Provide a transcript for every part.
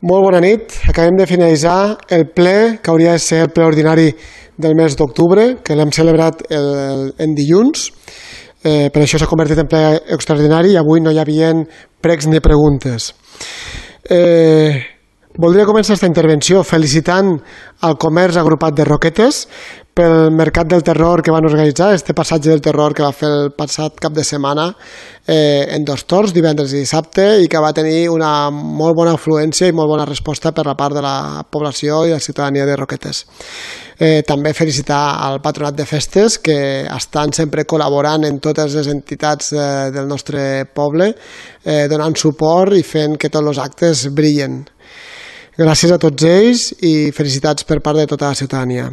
Molt bona nit. Acabem de finalitzar el ple, que hauria de ser el ple ordinari del mes d'octubre, que l'hem celebrat en dilluns. Per això s'ha convertit en ple extraordinari i avui no hi havia pregs ni preguntes. Voldria començar aquesta intervenció felicitant el comerç agrupat de Roquetes pel Mercat del Terror que van organitzar, este passatge del terror que va fer el passat cap de setmana en dos torns, divendres i dissabte, i que va tenir una molt bona afluència i molt bona resposta per la part de la població i la ciutadania de Roquetes. També felicitar al Patronat de Festes, que estan sempre col·laborant en totes les entitats del nostre poble, donant suport i fent que tots els actes brillen. Gràcies a tots ells i felicitats per part de tota la ciutadania.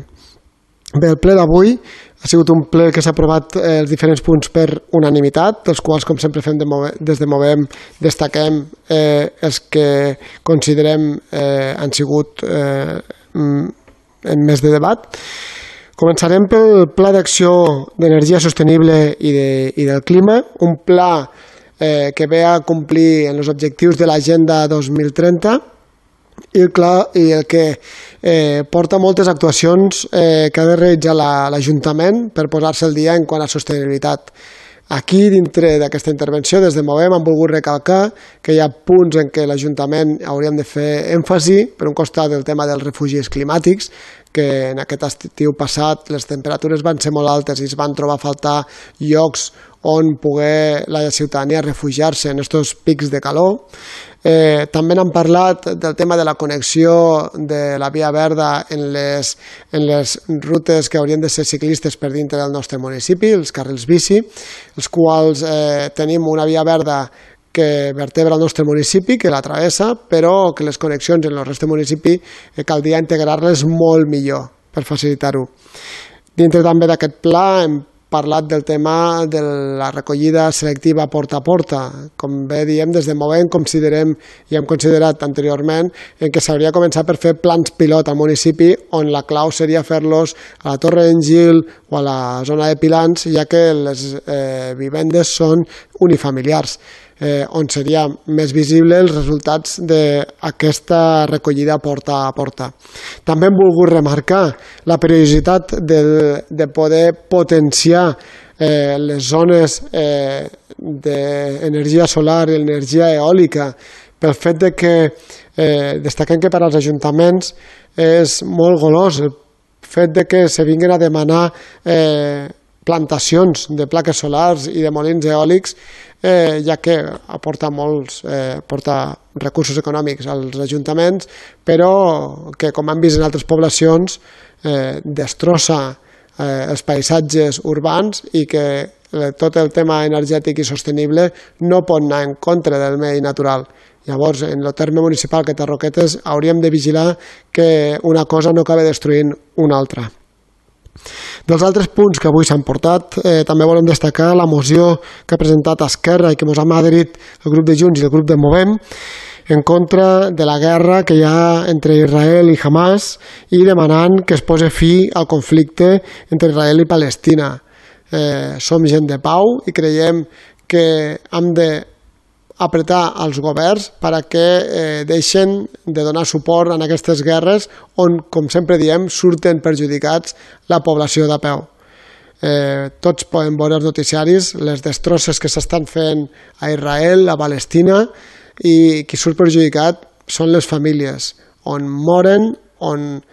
Bé, el ple d'avui ha sigut un ple que s'ha aprovat els diferents punts per unanimitat, dels quals, com sempre fem des de Movem, destaquem els que considerem han sigut en més de debat. Començarem pel Pla d'Acció d'Energia Sostenible i del Clima, un pla que ve a complir en els objectius de l'Agenda 2030 i el que porta moltes actuacions que ha de realitzar l'Ajuntament per posar-se al dia en quant a sostenibilitat. Aquí, dintre d'aquesta intervenció, des de Movem, hem volgut recalcar que hi ha punts en què l'Ajuntament hauríem de fer èmfasi, per un costat el tema dels refugis climàtics, que en aquest estiu passat les temperatures van ser molt altes i es van trobar a faltar llocs on poder la ciutadania refugiar-se en aquests pics de calor. També n'hem parlat del tema de la connexió de la via verda en les rutes que haurien de ser ciclistes per dintre del nostre municipi, els carrils bici, els quals tenim una via verda que vertebra el nostre municipi, que la travessa, però que les connexions en el reste del municipi caldria integrar-les molt millor per facilitar-ho. Dintre també d'aquest pla hem parlat del tema de la recollida selectiva porta a porta. Com bé diem, des de Movem considerem i hem considerat anteriorment que s'hauria de començar per fer plans pilot al municipi on la clau seria fer-los a la Torre d'en Gil o a la zona de Pilans, ja que les vivendes són unifamiliars, on seria més visible els resultats d'aquesta recollida porta a porta. També hem volgut remarcar la periodicitat de poder potenciar les zones d'energia solar i energia eòlica, pel fet que destaquem que per als ajuntaments és molt golós el fet que se vinguin a demanar plantacions de plaques solars i de molins eòlics, ja que aporta recursos econòmics als ajuntaments, però que, com hem vist en altres poblacions, destrossa els paisatges urbans i que tot el tema energètic i sostenible no pot anar en contra del medi natural. Llavors, en el terme municipal que té Roquetes, hauríem de vigilar que una cosa no acabi destruint una altra. Dels altres punts que avui s'han portat, també volem destacar la moció que ha presentat Esquerra i que ens ha adherit el grup de Junts i el grup de Movem en contra de la guerra que hi ha entre Israel i Hamas i demanant que es posi fi al conflicte entre Israel i Palestina. Som gent de pau i creiem que hem d'apretar els governs perquè deixen de donar suport en aquestes guerres on, com sempre diem, surten perjudicats la població de peu. Tots podem veure els noticiaris, les destrosses que s'estan fent a Israel, a Palestina, i qui surt perjudicat són les famílies, on moren, on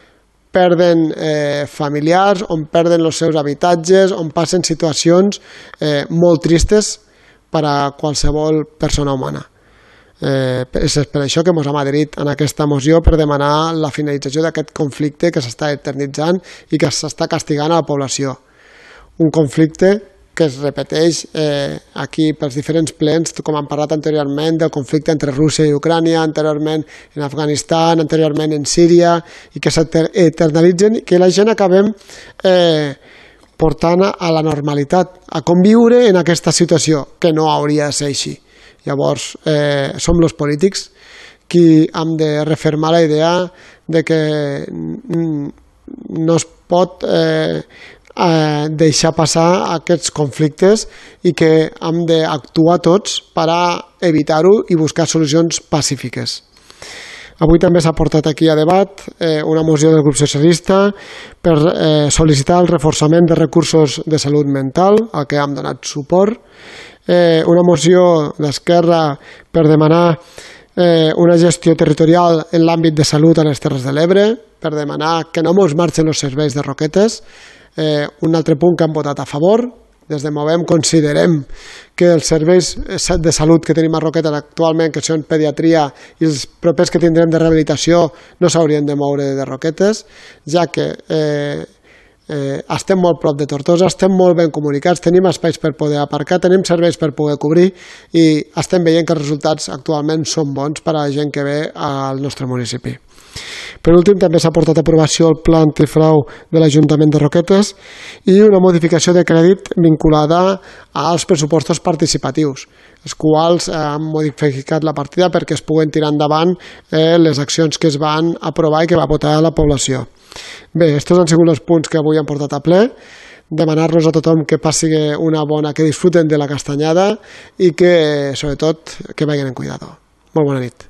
perden familiars, on perden els seus habitatges, on passen situacions molt tristes per a qualsevol persona humana. És per això que ens hem adherit en aquesta moció per demanar la finalització d'aquest conflicte que s'està eternitzant i que s'està castigant a la població. Un conflicte que es repeteix aquí pels diferents plens, com hem parlat anteriorment, del conflicte entre Rússia i Ucrània, anteriorment en Afganistan, anteriorment en Síria, i que s'eternalitzen i que la gent acabem portant a la normalitat, a conviure en aquesta situació, que no hauria de ser així. Llavors, som els polítics qui hem de refermar la idea de que no es pot deixar passar aquests conflictes i que hem d'actuar tots per a evitar-ho i buscar solucions pacífiques. Avui també s'ha portat aquí a debat una moció del grup socialista per sol·licitar el reforçament de recursos de salut mental, al que hem donat suport, una moció d'Esquerra per demanar una gestió territorial en l'àmbit de salut a les Terres de l'Ebre, per demanar que no ens marxen els serveis de Roquetes, un altre punt que han votat a favor. Des de Movem considerem que els serveis de salut que tenim a Roquetes actualment, que són pediatria, i els propers que tindrem de rehabilitació, no s'haurien de moure de Roquetes, ja que estem molt prop de Tortosa, estem molt ben comunicats, tenim espais per poder aparcar, tenim serveis per poder cobrir i estem veient que els resultats actualment són bons per a la gent que ve al nostre municipi. Per últim, també s'ha portat a aprovació el pla antifrau de l'Ajuntament de Roquetes i una modificació de crèdit vinculada als pressupostos participatius, els quals han modificat la partida perquè es puguen tirar endavant les accions que es van aprovar i que va votar la població. Bé, aquests han sigut els punts que avui han portat a ple. Demanar-los a tothom que passi una bona, que disfruten de la castanyada i que, sobretot, que vagin en cuidado. Molt bona nit.